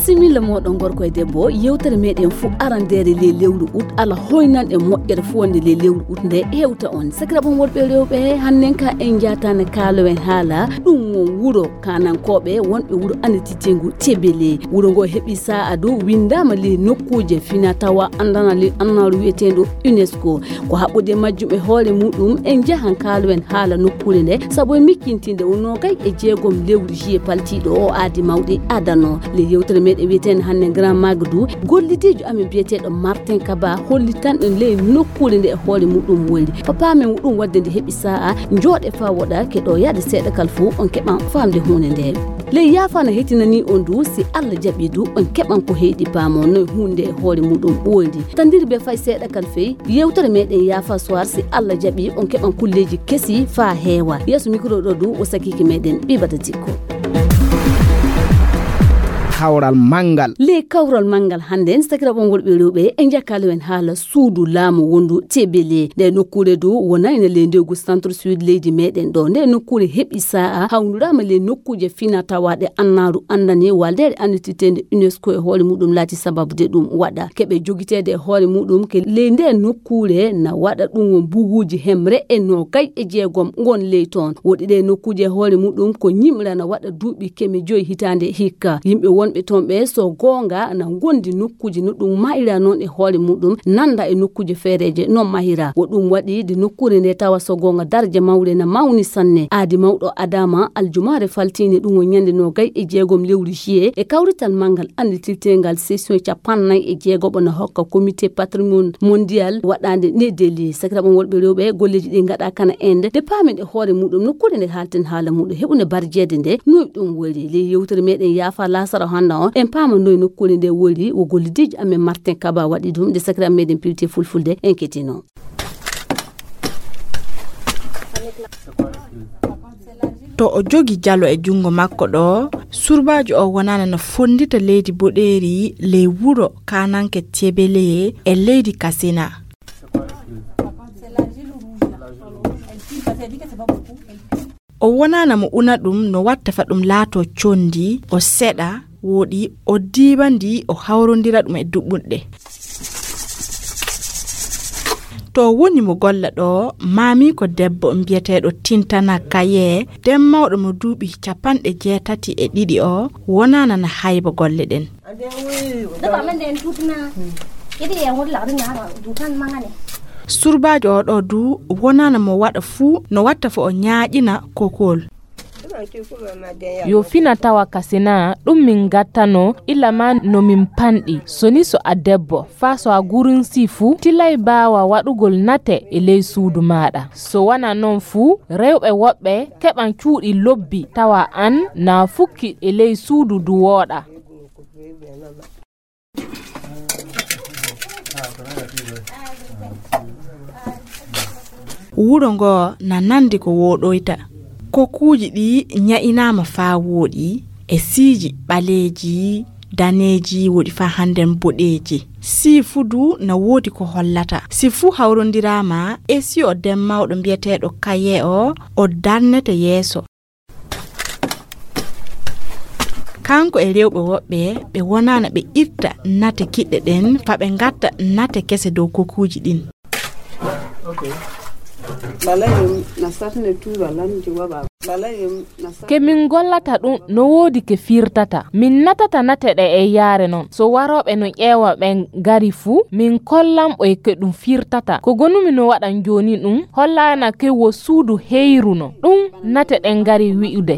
Simila moɗon gorko e debbo yewtere meɗen fu arandere le lewru ut ala hoynan e moƴƴere fu wonde le lewru ut nde hewta on sakiraɓon worɓe rewɓe hannen ka en jatane kaalowen haala ɗum won wuro kanankoɓe wonɓe wuro anetitingu Tebele wuro ngo heeɓi sa'a du windama le nokkuje fina tawa andana le annaru wiyeteɗo UNESCO ko haɓɓude majjum e hoore muɗum en jahan kaalowen haala nokkure nde saabu e mikkintinde wonno kay e jeegom lewru jiye paltiɗo o aadi mawɗi adano le yewtere meɗen wiyeten hannde Grand Magadou gollidijo amin biyeteɗo Martin Kaba holli tan ɗum ley nokkure nde e hoore muɗum woni papa men ɗum wadde nde heeɓi sa'a jooɗe fa woɗa keɗo yaade seeɗa kal fu on keɓan famde hunde nde ley yaafana hettinani on du si Allah jaɓi du on keɓan ko heyɗi paamo no hunde e hoore muɗum ɓoydi tandiri be fay seeɗa kal fey yewtere meɗen yaafa soir si Allah jaɓi on keɓan kulleji kesi fa heewa yeeso micro ɗo du o sakiki meɗen ɓibata tikko kawral mangal le kawral mangal hande sakiraɓon worɓe rewɓe e jakkaloen haala suudu laamu wondu Tebele nde nokkure du wona ene le ndegu centre sud leydi meɗen ɗo nde nokkure heeɓi sa'a hawnirama le nokkuje fina tawaɗe annaru andani waldere annititende UNESCO e hoore muɗum laati sababude ɗum waɗa keɓe jogitede e hoore muɗum ke le nde nokkure na waɗa ɗum won buguji hemre e no kay e jeegom gon ley toon woɗi ɗe nokkuje e hoore muɗum ko ñimrana waɗa duuɓi kemi 5 hitande hikka yimɓe wonɓe toon ɓe so gonga na gondi nokkuje no ɗum mahira noon e hoore muɗum nanda e nokkuje feereje non mahira wo ɗum waɗi de nokkure nde tawa so gonga darje mawre na mawni sanne aadi mawɗo Adama aljumare faltine ɗum won ñande no gay e jeegom lewru juillet e kawrital mangal anditirtengal session 46 na hokka comité patrimoine mondial waɗande ne deli sakiraɓon worɓe rewɓe golleji ɗi gaɗa kana ende de pamen e hoore muɗum nokkure nde halten haala muɗum heɓune barjede nde noy ɗum wori le yewtere meɗen yaafa lasara handa on en paamanoy nokkure nde wori wo gollidijo amen Martin Kaba waɗi ɗum de sakiraɓe meɗen piwte fulfulde en kettino to o jogi jalo e jungo makko ɗo surbajo o wonana no fondita leydi boɗeri ley wuro kananke Tebele e leydi Kasina o wonana mo una ɗum no watta fa ɗum laato condi o seɗa woɗi o diibandi o hawrondira ɗum e duɓɓunɗe to woni mo golla ɗo mami ko debbo biyeteɗo Tintana Kaye den mawɗo mo duuɓi 82 o wonana na hayba golle ɗen surbajo o ɗo du wonana mo waɗa fuu no watta fo o ñaaƴina kokol yo fina tawa Kasina ɗum min gattano ilama no min panɗi soni so a debbo fa so a gurin sifu tilay bawa waɗugol nate e ley suudu maɗa so wana non fuu rewɓe woɓɓe keɓan cuuɗi lobbi tawa an na fukki e ley suudu du wooɗa wuro ngo na nandi ko woɗoyta kokuji ɗi ña'inama fa woɗi e siiji ɓaleji daneji woɗi fa handen boɗeji sifudu na wodi ko hollata sifu hawrondirama e si o den mawɗo biyeteɗo Kaye o darnete yeeso kanko e rewɓe woɓɓe ɓe wonana ɓe irta nate kiɗɗe ɗen fa ɓe gatta nate kese dow kokuji ɗin ke min gollata ɗum no woodi ke firtata min natata nateɗe e yaare non so waroɓe no ƴeewa ɓen gari fuu min kollamɓo e ke ɗum firtata ko gonumi no waɗan joni ɗum hollana ke wo suudu heyruno ɗum nateɗen gari wi'ude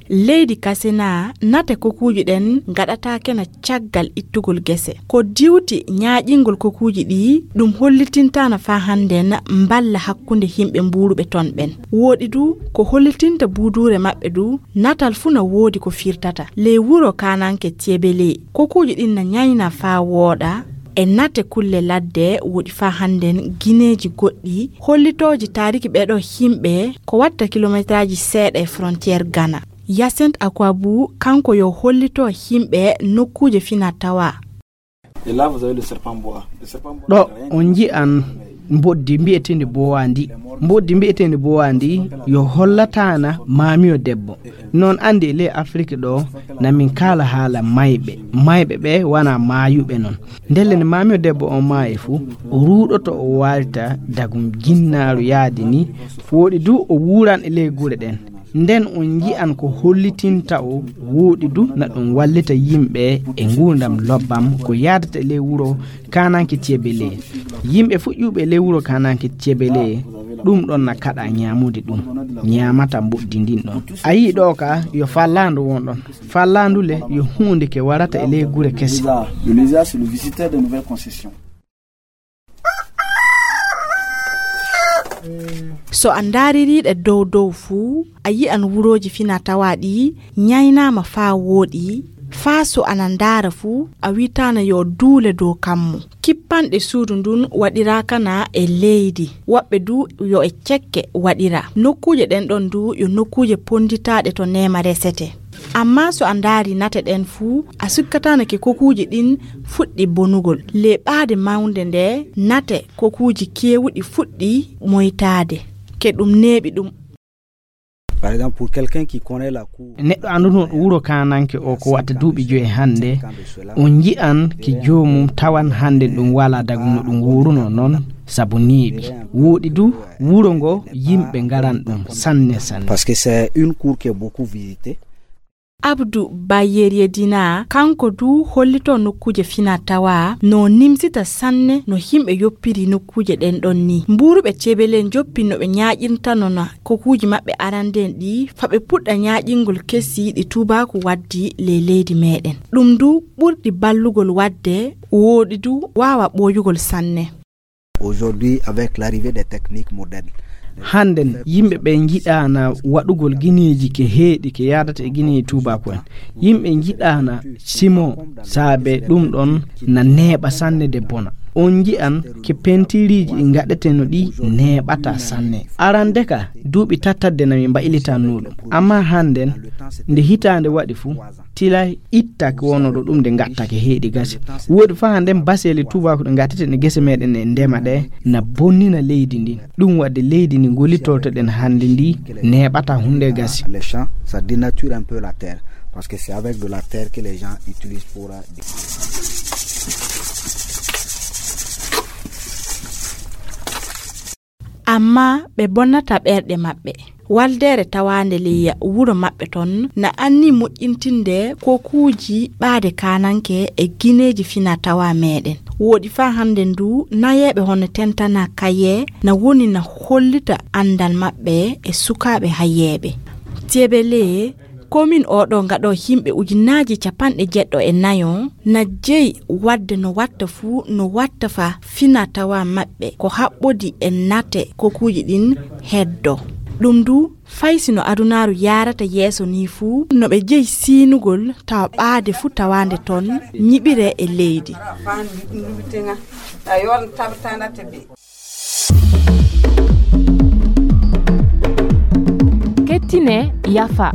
leydi Kasina nate kokuji ɗen gaɗatake na caggal ittugol gese ko diwti ñaaƴingol kokuji ɗi ɗum hollitintana fa handen mballa hakkunde himɓe mburuɓe ton ɓen woɗi du ko hollitinta budure maɓɓe du natal fu na woodi ko firtata ley wuro kananke Tebele kokuji ɗin na ñayna fa wooɗa e nate kulle ladde woɗi fa handen gineji goɗɗi hollitoji tariki ɓeɗo himɓe ko watta kilométraji seeɗa e frontiére Ghana Yacinthe Akwabu kanko yo hollito himɓe nokkuje fina tawa Et là, vous avez le serpent boa. ɗo on ji'an mboddi mbi'etende bowandi. Mboddi mbi'etende bowandi yo hollatana mamiyo debbo. Non andi le Afrique ɗo na min kala haala mayɓe ɓe wana mayuɓe non. Ndelle ne mamiyo debbo on maayi fu o ruɗoto o walta dagum jinnaru yaadi ni woɗi du o wuran e ley gure ɗen. Nden on ji'an ko hollitinta o woɗi du na ɗum wallita yimɓe e ngurdam lobbam ko yadata ley wuro kananke Tebele. Yimɓe fuƴƴuɓe ley wuro kananke Tebele ɗum ɗon na kaɗa ñamude ɗum ñamata mboddi ndin ɗon. A yi ɗo ka yo fallandu won ɗon. Fallandu le yo hunde ke warata e ley gure kese. Le lézard, c'est le visiteur de nouvelles concessions. So a daririɗe dow fuu a yi'an wuroji fina-tawa ɗi ñaynama faa wooɗi faa so anan dara fuu a witana yo duule dow kammu. Kippanɗe suudu ndun waɗirakana e leydi, woɓɓe du yo e cekke waɗira. Nokkuje ɗen ɗon du yo nokkuje ponditaɗe to nema resete. Amma so a ndaari nate ɗen fuu a sukkatanake kokuuji ɗin fuɗɗi bonugol. Leɓaade mawnde nde nate kokuuji keewuɗi fuɗɗi moytaade ke ɗum neeɓi ɗum. Par exemple, pour quelqu'un qui connaît la cour, neɗɗo anduno wuro kananke o ko watta duuɓi 5 hande on ji'an ki joomum tawan hande ɗum wala daguno ɗum wuruno non sabu niiɓi woɗi du wuro ngo yimɓe ngaran ɗum sanne. Parce que c'est une cour qui est beaucoup visitée. Abdou Bayeri Dina kanko du hollito nokkuje fina-tawa no nimsita sanne no himɓe yoppiri nokkuje ɗen ɗon ni. Mburuɓe Tebele joppi no ɓe ñaƴirtanona kokuji maɓɓe aranden ɗi fa ɓe puɗɗa ñaƴingol kesi ɗi tubaku waddi le leydi meɗen. Ɗum du ɓurɗi ballugol wadde woɗi du wawa ɓoyugol sanne. Aujourd'hui, avec l'arrivée des techniques modernes, handen yimɓe ɓe jiɗana waɗugol guineji ke heeɗi ke yadata e guineji tubako en. Yimɓe jiɗana simo saabe ɗum ɗon na neeɓa sanne de bona. On ji'an ke pentiriji gaɗeteno ɗi neeɓata sanne. Arande ka duuɓi tattadde na min mbailitanno ɗum. Amma handen nde hitande waɗi fu tila ittake wonoɗo ɗum nde gattake heeɗi gasi. Woodi fa handen basele tubako ɗe gatteten e gese meɗen e ndema ɗe na bonnina leydi ndin. Ɗum wadde leydi ndi gollitortoɗen hande ndi neeɓata hunde gasi. Les champs, ça dénature un peu la terre parce que c'est avec de la terre que les gens utilisent pour amma ɓe bonnata ɓerɗe maɓɓe. Waldere tawande liya wuro maɓɓe ton na anni moƴƴintinde kokuuji ɓaade kananke e gineji fina-tawa meɗen. Woodi fa hande ndu nayeɓe hono tentana kaye na woni na hollita andal maɓɓe e sukaɓe hayeɓe. Tebele komin oɗo ngaɗo himɓe 9,4 na jeyi wadde no watta fuu no watta fa fina-tawa maɓɓe ko haɓɓodi e nate kokuuji ɗin heddo. Ɗum du faysino adunaru yarata yeeso ni fuu no ɓe jeyi siinugol tawa ɓaade fuu tawande ton ñiɓire e leydi. Kettine yafa.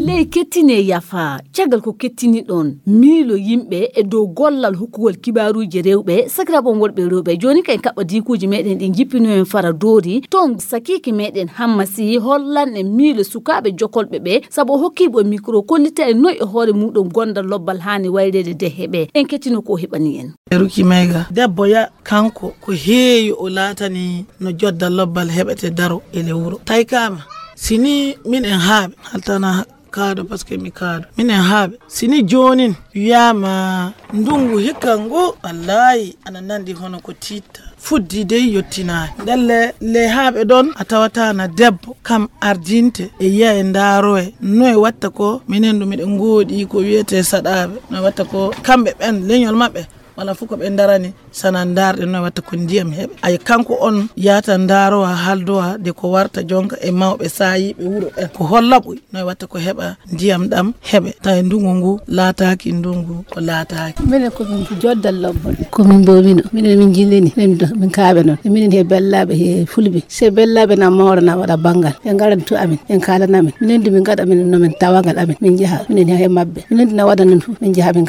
ley kettine yafa caggal ko kettini ɗon miilo yimɓe e dow gollal hokkugol kibaruji rewɓe sakiraɓon worɓe rewɓe joni kay kaɓɓa dikuji meɗen ɗi jippino en fara doori ton sakiki meɗen hammasi hollanɗe miilo sukaɓe jokolɓe ɓe saabu hokkiɓe micro kollita e noy e hoore muɗum gondal lobbal hani wayrede deheɓe en kettino ko heɓani en Ruki Mega debbo ya kanko ko heewi o laatani no jodda lobbal heɓete daro e lewuro taykama sini min en haaɓe haltana kaado parce que mi kaado minen haaɓe sini jonin wiyama ndungu hikka ngu wallahi ana nandi hono ko titta fuddi dey yottinani ndelle le haaɓe ɗon a tawata na debbo kam ardinte e yiya e ndaaroe noye watta ko minen ɗum miɗen gooɗi ko wiyete saɗaɓe no watta ko kamɓe ɓen leñol maɓɓe wala fu ko ɓe darani sanan darɗe no watta ko ndiyam heɓe ay kanko on yata darowa haldowa de ko warta jonka e mawɓe sayiɓe wuro ɓen ko hollaɓoy no watta ko heɓa ndiyam ɗam heɓe tawi ndungu ngu laataki ndungu ko laataki. Minen komin joddal lobbol komin mbomino minen min jillini min kaaɓe noon minen he bellaɓe he fulɓe se bellaɓe na mawrana waɗa banggal ɓe garan to amin ɓe kalanamin minen di min gaɗa min nomin tawagal amin min jaaha minen he mabɓe minen di na waɗa non fof min jaaha min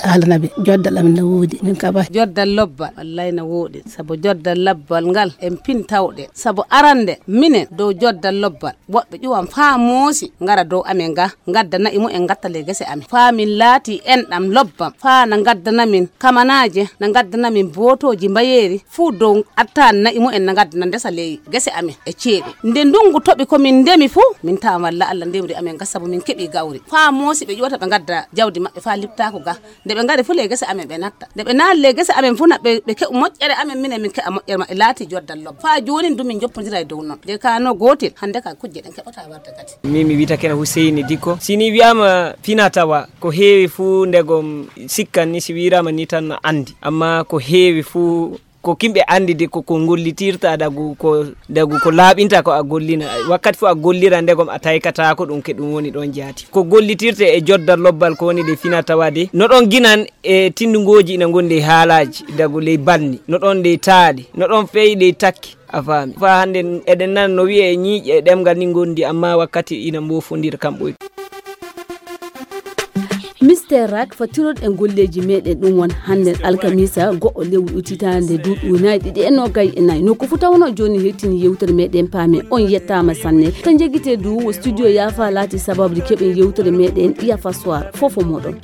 haalanaɓe joddal amin no woodi min kaba joddal lobbal wallahi no woodi saabu joddal lobbal ngal en pintawɗe saabu arande minen dow joddal lobbal woɓɓe ƴuwan faa moosi ngara dow amin ga gadda nayi mumen gattale gese amin faa min laati enɗam lobbam faa na gaddanamin kamanaje na gaddanamin botoji mbayeri fuu dow attani nayi mumen na gaddana ndesa ley gese amin e ceeɗu nde ndungu toɓi komin ndemi fuu min tawa walla Allah ndemri amin ga saabu min keeɓi gawri faa moosi ɓe ƴuwata ɓe gadda jawdi maɓɓe faa liptako ga nde ɓe ngari fu le gese amin ɓe natta nde ɓe naali le gese amin fu na ɓe keɓu moƴƴere amin minen min keɓa moƴƴere maɓɓe laati joddal lobba faa joni du min joppodira e dow noon de kano gotel hande ka kujje ɗen keɓata warta kadi mi wita kene Husseini Dikko sini wiyama finatawa ko heewi fu ndegom sikkan ni si wirama ni tan andi amma ko heewi fu ko kimɓe andi de ko gollitirta dagu ko laaɓinta ko a gollina wakkati fu a gollira ndegom a taykata ko ɗum ke ɗum woni ɗon jaati ko gollitirte e joddal lobbal ko woni de finatawade no ɗon ginan e tindungoji ina gondi e haalaji dagu ley banni no ɗon ley taaɗi no ɗon feewi ley takki a faami fa hande eɗen nan no wiye ñiiƴe e ɗemgal ni gondi amma wakkati ina mbofodira kamɓoy Mr. Rak fatirod en golleji meɗen ɗum won hande alkamisa go'o lewru utitande duuɓi unayi ɗiɗi e nogayi e nayyi nokku fu tawno joni hettini yewtere meɗen paame on yettama sanne tan jeguite du studio Yafa laati sababu keɓen yewtere meɗen Yafa Soir fofo moɗon